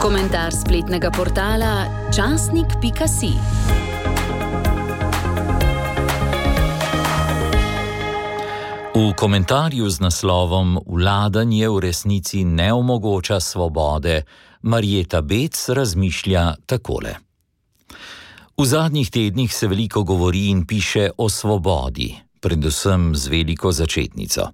Komentar spletnega portala časnik.si. V komentarju z naslovom Vladanje v resnici ne omogoča svobode, Marjeta Bec razmišlja takole. V zadnjih tednih se veliko govori in piše o svobodi, predvsem z veliko začetnico.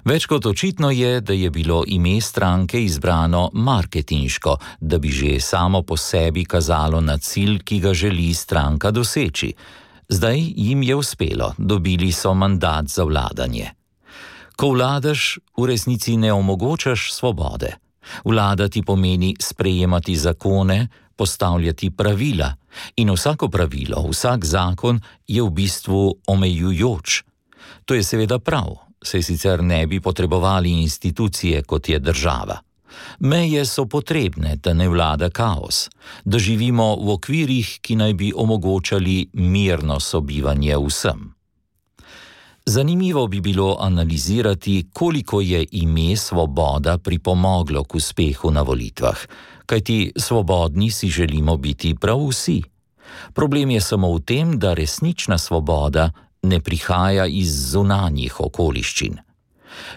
Več kot očitno je, da je bilo ime stranke izbrano marketinško, da bi že samo po sebi kazalo na cilj, ki ga želi stranka doseči. Zdaj jim je uspelo, dobili so mandat za vladanje. Ko vladaš, v resnici ne omogočaš svobode. Vladati pomeni sprejemati zakone, postavljati pravila in vsako pravilo, vsak zakon je v bistvu omejujoč. To je seveda prav, saj sicer ne bi potrebovali institucije, kot je država. Meje so potrebne, da ne vlada kaos, da živimo v okvirih, ki naj bi omogočali mirno sobivanje vsem. Zanimivo bi bilo analizirati, koliko je ime svoboda pripomoglo k uspehu na volitvah, kajti svobodni si želimo biti prav vsi. Problem je samo v tem, da resnična svoboda ne prihaja iz zunanjih okoliščin.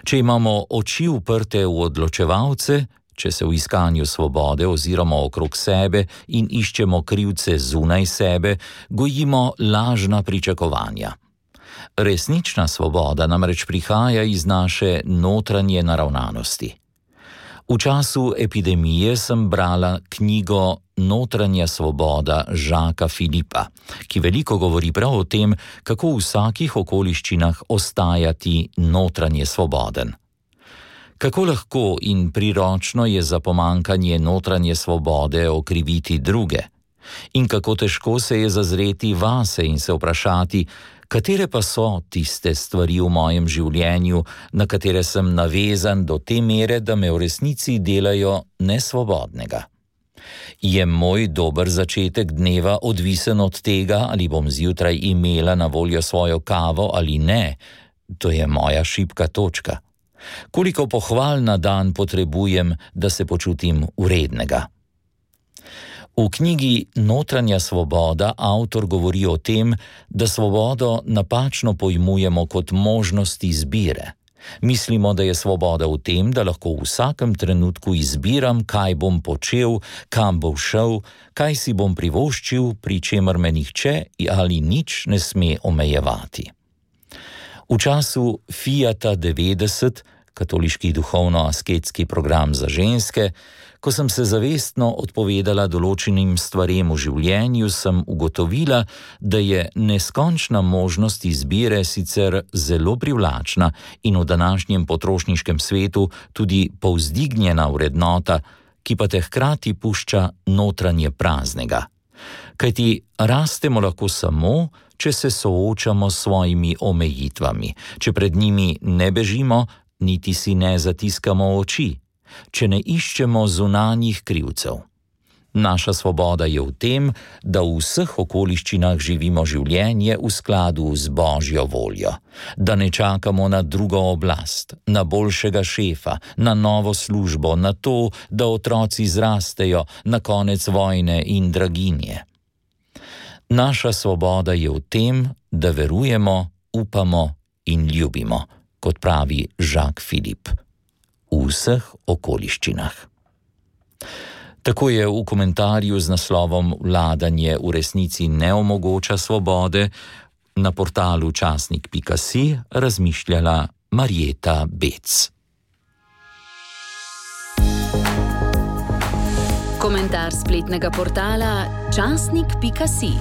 Če imamo oči uprte v odločevalce, če se v iskanju svobode oziroma okrog sebe in iščemo krivce zunaj sebe, gojimo lažna pričakovanja. Resnična svoboda namreč prihaja iz naše notranje naravnanosti. V času epidemije sem brala knjigo Notranja svoboda Žaka Filipa, ki veliko govori prav o tem, kako v vsakih okoliščinah ostajati notranje svoboden. Kako lahko in priročno je za pomanjkanje notranje svobode okriviti druge? In kako težko se je zazreti vase in se vprašati, katere pa so tiste stvari v mojem življenju, na katere sem navezan do te mere, da me v resnici delajo nesvobodnega. Je moj dober začetek dneva odvisen od tega, ali bom zjutraj imela na voljo svojo kavo ali ne? To je moja šibka točka. Koliko pohval na dan potrebujem, da se počutim vrednega? V knjigi Notranja svoboda avtor govori o tem, da svobodo napačno pojmujemo kot možnost izbire. Mislimo, da je svoboda v tem, da lahko v vsakem trenutku izbiram, kaj bom počel, kam bom šel, kaj si bom privoščil, pri čemer me nihče ali nič ne sme omejevati. V času Fiata 90, katoliški duhovno-asketski program za ženske, ko sem se zavestno odpovedala določenim stvarem v življenju, sem ugotovila, da je neskončna možnost izbire sicer zelo privlačna in v današnjem potrošniškem svetu tudi povzdignjena vrednota, ki pa te hkrati pušča notranje praznega. Kajti rastemo lahko samo, če se soočamo s svojimi omejitvami, če pred njimi ne bežimo, niti si ne zatiskamo oči, če ne iščemo zunanjih krivcev. Naša svoboda je v tem, da v vseh okoliščinah živimo življenje v skladu z Božjo voljo, da ne čakamo na drugo oblast, na boljšega šefa, na novo službo, na to, da otroci zrastejo, na konec vojne in draginje. Naša svoboda je v tem, da verujemo, upamo in ljubimo, kot pravi Žak Filip. V vseh okoliščinah. Tako je v komentarju z naslovom Vladanje v resnici ne omogoča svobode na portalu časnik.si razmišljala Marjeta Bec. Komentar spletnega portala časnik.si.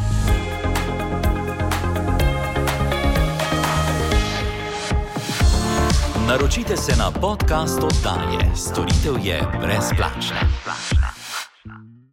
Naročite se na podcast oddaje. Storitev je brezplačna.